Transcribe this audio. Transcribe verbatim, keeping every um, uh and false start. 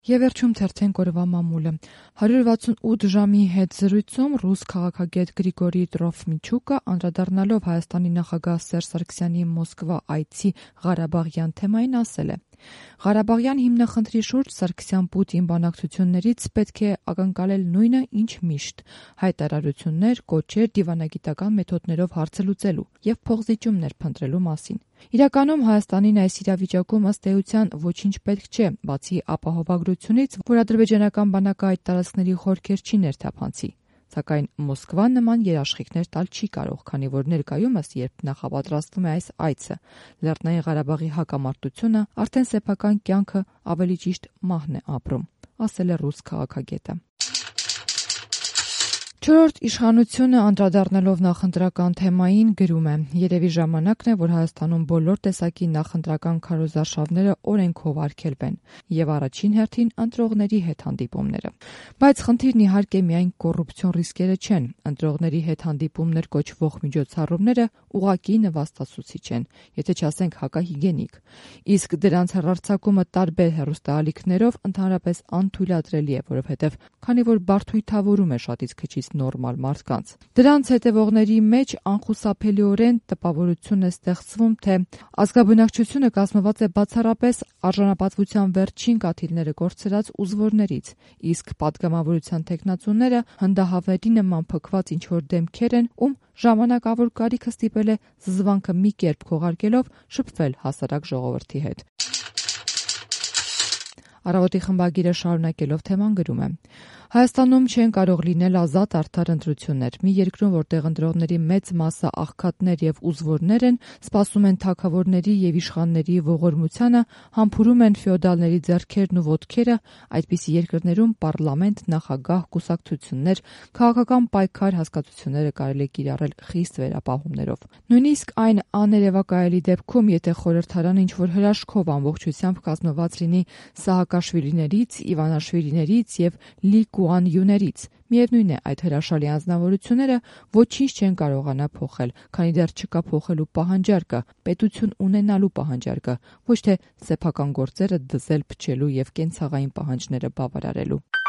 Եվ վերջում թերթենք օրվա մամուլը։ հարյուր վաթսունութ ժամի հետ զրույցում ռուս քաղաքագետ Գրիգորի Տրոֆիմչուկը, անդրադառնալով Հայաստանի նախագահ Սերժ Սարգսյանի Մոսկվա այցի Ղարաբաղյան թեմային, ասել է. «Ղարաբաղյան հիմնախնդրի շուրջ Սարգսյան-Պուտին բանակցություններից պետք է ակնկալել նույնը, ինչ միշտ՝ հայտարարություններ, կոչեր, դիվանագիտական մեթոդներով հարցը լուծելու և փոխզիջումներ փնտրելու մասին։ Իրականում Հայաստանին այս իրավիճակում ըստ էության ոչինչ պետք չէ, բացի ապահովագրությունից, որ ադրբեջանական բանակը այդ տարածքների խորքեր չի ներթափանցի։ Սակայն Մոսկվան նման երաշխիքներ տալ չի կարող, քանի որ ներկայումս, երբ նախապատրաստվում է այս այցը, Լեռնային Ղարաբաղի հակամարտությունը, արդեն սեփական կյանքը, ավելի ճիշտ մահն է ապրում», ասել է ռուս քաղաքագետը։ Չորրորդ իշխանությունը, անդրադառնալով նախընտրական թեմային, գրում է. «Երևի ժամանակն է, որ Հայաստանում բոլոր տեսակի նախընտրական քարոզարշավները օրենքով արգելվեն և առաջին հերթին ընտրողների հետ հանդիպումները։ Բայց խնդիրն իհարկե միայն կոռուպցիոն ռիսկերը չեն։ Ընտրողների հետ հանդիպումներ կոչվող միջոցառումները ուղղակի նվաստացուցիչ են, եթե չասենք հակահիգիենիկ, իսկ դրանց հեռարձակումը տարբեր հեռուստաալիքներով ընդհանրապես անթույլատրելի է, որովհետև քանի որ բարդույթավորում է շատից քչից նորմալ մարդկանց։ Դրանց հետևողների մեջ անխուսափելիորեն տպավորություն է ստեղծվում, թե ազգաբնակչությունը կազմված է բացառապես արժանապատվության վերջին կաթիլները կորցրած ուզվորներից, իսկ պատգամավորության թեկնածուները հնդահավերի նման փքված ինչ-որ դեմքեր են, ում ժամանակավոր կարիքը ստիպել է զզվանքը մի կերպ քողարկելով շփվել հասարակ ժողովրդի հետ»։ Առավոտի խմբագիրը շարունակելով թեման գրում է. «Հայաստանում չեն կարող լինել ազատ արդար ընտրություններ։ Մի երկրում, որտեղ ընտրողների մեծ մասը աղքատներ և ուզվորներ են, սպասում են թագավորների և իշխանների ողորմությանը, համբուրում են ֆեոդալների ձեռքերն ու ոտքերը, այդպիսի երկրներում պառլամենտ, նախագահ, կուսակցություններ, քաղաքական պայքար հասկացությունները կարելի է կիրառել խիստ վերապահումներով։ Նույնիսկ այն աներևակայելի դեպքում, եթե խորհրդարանը ինչ-որ հրաշքով ամբողջությամբ կազմված լինի Սահակաշվիլիներից, Իվանաշվիլիներից և Լի Կուան Յուներից, միևնույն է, այդ հրաշալի անձնավորությունները ոչինչ չեն կարողանա փոխել, քանի դեռ չկա փոխելու պահանջարկը, պետություն ունենալու պահանջարկը, ոչ թե սեփական գործերը դզել, փչելու և կենցաղային պահանջները բավարարելու»։